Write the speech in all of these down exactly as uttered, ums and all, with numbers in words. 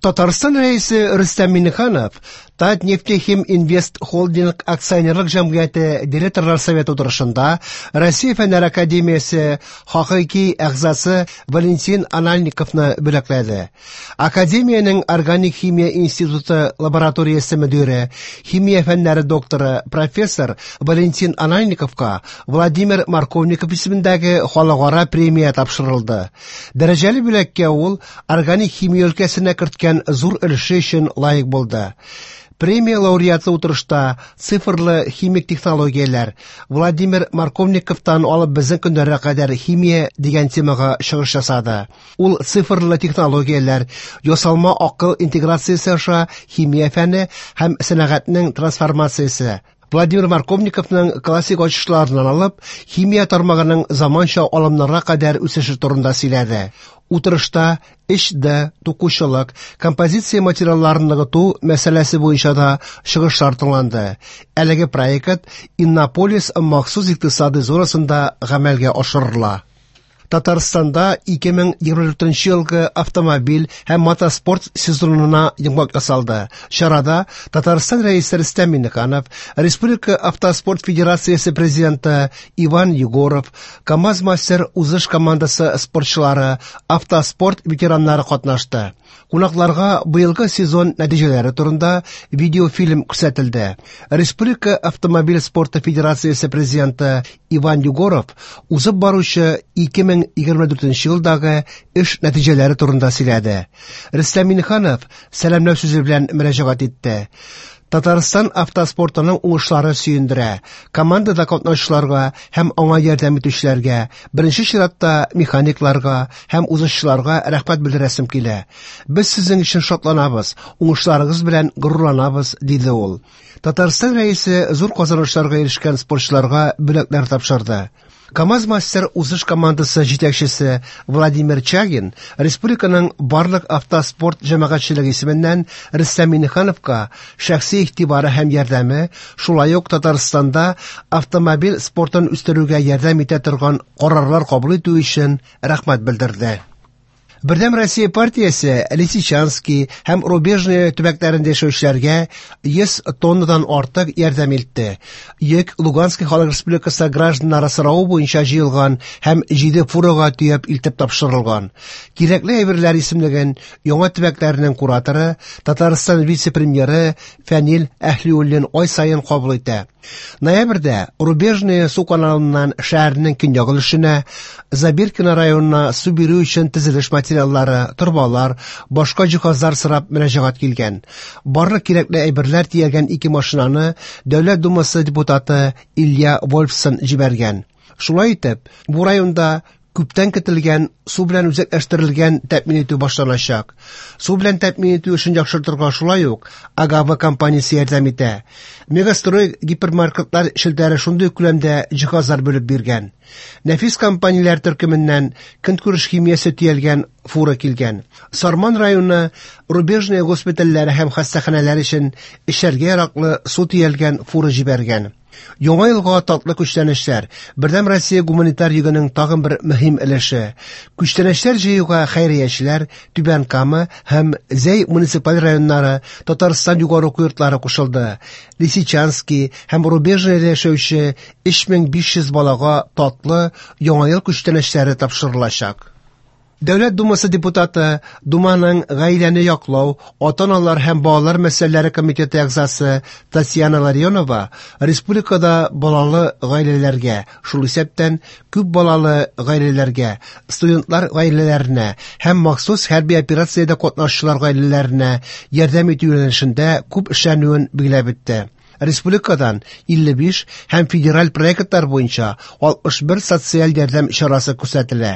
Татарстан Рәисе Рөстәм Миңнеханов Татнефтехим Инвест Холдинг акционерлык җәмгыяте директорлар советы утырышында Россия Фәннәр академиясе хакыйки әгъзасы Валентин Анальниковны бүләкләде. Академиянең Органик химия институты лабораториясе мөдире, химия фәннәре докторы, профессор Валентин Анальниковка Владимир Марковников исемендәге халыкара премия тапшырылды. Дәрәҗәле бүләккә ул органик химия өлкәсенә керткән зур өлеше өчен лаек булды. Премия лауреаты утырышта цифрлы химик технологияләр Владимир Марковниковтан алып безнең көннәргә кадәр химия дигән темага чыгыш ясады. Ул цифрлы технологияләр, ясалма акыл интеграциясе аша химия фәне һәм сәнәгатьнең трансформациясе, Владимир Марковниковның классик ачышларыннан алып, химия тармагының заманча алымнарга кадәр үсеше турында сөйләде. Утырышта өч D тукучылык, композиция материалларын ныгыту мәсьәләсе буенча да чыгышлар тыңланды. Әлеге проект Иннополис махсус икътисади зонасында гамәлгә ашырыла. Татарстанда ике мең егерме дүртенче елгы автомобиль һәм мотоспорт сезонына йомгак ясалды. Чарада Татарстан Рәисе Рөстәм Миңнеханов, Республика Автоспорт Федерациясе президенты Иван Егоров, КАМАЗ-мастер узыш командасы спортчылары, автоспорт ветераннары катнашты. Кунакларга быелгы сезон нәтиҗәләре турында видеофильм күрсәтелде. Республика Автомобиль спорты Федерациясе президенты Иван Егоров узып баручы ике мең егерме дүртенче елдагы эш нәтиҗәләре турында сөйләде. Рөстәм Миңнеханов сәламләү сүзе белән мөрәҗәгать итте. Татарстан автоспортының уңышлары сөендерә. Командада катнашучыларга һәм аңа ярдәм итүчеләргә, беренче чиратта механикларга һәм узышчыларга рәхмәт белдерәсем килә. Без сезнең өчен шатланабыз, уңышларыгыз белән горурланабыз, диде ул. Татарстан Рәисе зур казанышларга ирешкән спортчыларга бүләкләр тапшырды. КАМАЗ-мастер узыш командасы җитәкчесе Владимир Чагин республиканың барлык автоспорт җәмәгатьчелеге исеменнән Рөстәм Миңнехановка шәхси игътибары һәм ярдәме, шулай ук Татарстанда автомобиль спортын үстерүгә ярдәм итә торган карарлар кабул итү өчен рәхмәт белдерде. Бердәм Россия партиясе Лисичанский һәм Рубежное төбәкләрендә яшәүчеләргә йөз тоннадан артык ярдәм итте. Йөк Луганский халык республикасы гражданнары соравы буенча җыелган һәм җиде фурага төяп илтеп тапшырылган. Кирәкле әйберләр исемлеген яңа төбәкләрнең кураторы, Татарстан вице-премьеры Фәнил Әһлиуллин ай саен кабул итә. Ноябрьдә Рубежное су каналыннан шәһәрнең көньяк өлешенә, Забиркино районына су бирү өчен төзелеш материаллары, торбалар, башка җиһазлар сорап мөрәҗәгать килгән. Барлык кирәкле әйберләр төягән ике машинаны Дәүләт Думасы депутаты Илья Вольфсон җибәргән. Шулай итеп, бу районда күптән көтелгән су белән үзәкләштерелгән тәэмин итү башланачак. Су белән тәэмин итү эшен яхшыртырга шулай ук Агава компаниясе ярдәм итә. Мегастрой гипермаркетлар челтәре шундый күләмдә җиһазлар бүлеп биргән. Нәфис компанияләр төркеменнән көнкүреш химиясе төялгән фура килгән. Сарман районы Рубежное госпитальләре һәм хастаханәләр өчен эчәргә яраклы су төялгән фура җибәргән. Яңа елга татлы күчтәнәчләр. Бердәм Россия гуманитар йөгенең тагын бер мөһим өлеше. Күчтәнәчләр җыюга хәйриячеләр Түбән Кама һәм Зәй муниципаль районнары, Татарстан югары уку йортлары кушылды. Лисичанский һәм Рубежныйда яшәүче өч мең биш йөз балага татлы Яңа ел күчтәнәчләре тапшырылачак. Дәүләт Думасы депутаты, Думаның гаиләне яклау, ата-аналар һәм балалар мәсьәләләре комитеты әгъзасы Татьяна Ларионова республикада балалы гаиләләргә, шул исәптән күп балалы гаиләләргә, студентлар гаиләләренә һәм махсус хәрби операциядә катнашучылар гаиләләренә ярдәм итү юнәлешендә күп эшләнүен билгеләп үтте. Республикадан илле биш һәм федераль проектлар буенча алтмыш бер социаль ярдәм чарасы күрсәтелә.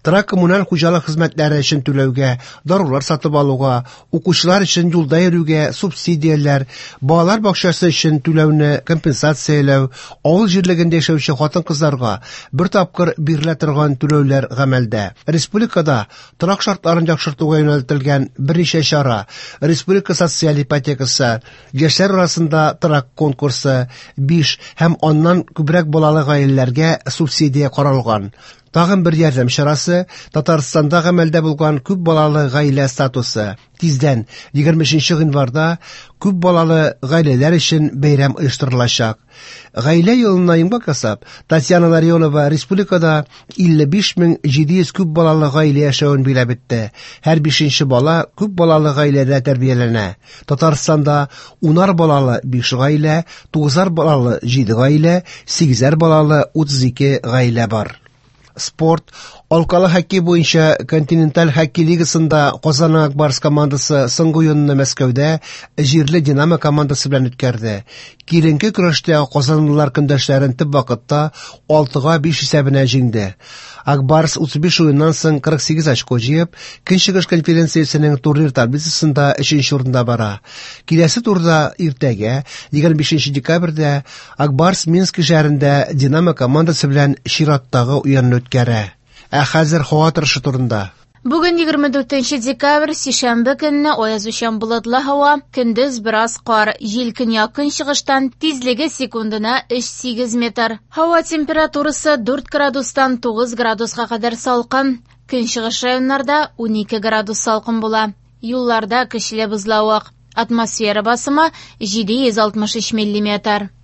Торак коммуналь хуҗалык хезмәтләре өчен түләүгә, дарулар сатып алуга, укучылар өчен юлда йөрүгә субсидияләр, балалар бакчасы өчен түләүне компенсацияләү, авыл җирлегендә яшәүче хатын-кызларга бер тапкыр бирелә торган түләүләр гамәлдә. Республикада торак шартларын яхшыртуга юнәлтелгән берничә чара, республика социаль ипотекасы, яшьләр арасында торак конкурсы, биш һәм аннан күбрәк балалы гаиләләргә субсидия каралган. Тагын бер ярдәм чарасы Татарстанда гамәлдә булган күп балалы гаилә статусы. Тиздән, егерме өченче гыйнварда, күп балалы гаиләләр өчен бәйрәм оештырылачак. Гаилә елына йомгак ясап, Татьяна Ларионова республикада илле биш мең җиде йөз күп балалы гаилә яшәвен биләп үтте. Һәр бишенче бала күп балалы гаиләдә тәрбияләнә. Татарстанда унар балалы биш гаилә, тугызар балалы җиде гаилә, сигезәр балалы утыз ике гаилә бар. Спорт. Алкалы хоккей буенча континенталь хоккей лигасында Казанның Ак Барс командасы соңгы уенны Мәскәүдә җирле Динамо командасы белән үткәрде. Киеренке көрәштә казанлылар көндәшләрен төп вакытта алтыга биш исәбенә җиңде. Ак Барс утыз биш уеннан соң кырык сигез очко җыеп, Көнчыгыш конференциясенең турнир таблицасында өченче урында бара. Киләсе турда иртәгә, егерме бишенче декабрьдә, Ак Барс Минск шәһәрендә Динамо командасы белән чираттагы уенны үткәрә. Ә хәзер һава торышы турында. Бүген егерме дүртенче декабрь, сишәмбе көнне аязучан болытлы һава, көндез бераз кар, җил көньяк көнчыгыштан, тизлеге секундына өч сигез метр. Һава температурасы дүрт градустан тугыз градуска кадәр салкын. Көнчыгыш районнарда унике градус салкын була. Юлларда көчле бозлавык. Атмосфера басымы җиде йөз алтмыш өч миллиметр.